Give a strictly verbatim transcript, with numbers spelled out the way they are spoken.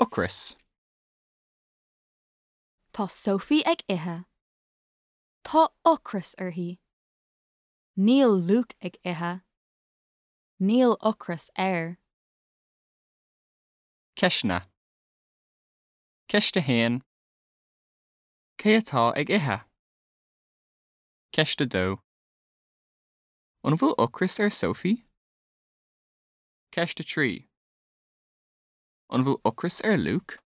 Ocras. Tá Sophie ag ithe. Tá ocras uirthi. Níl Luke ag ithe. Níl ocras air. Ceisteanna. Ceist a haon. Cé atá ag ithe? Ceist a dó. An bhfuil ocras ar Sophie? Ceist a trí. An bhfuil ocras ar Luke?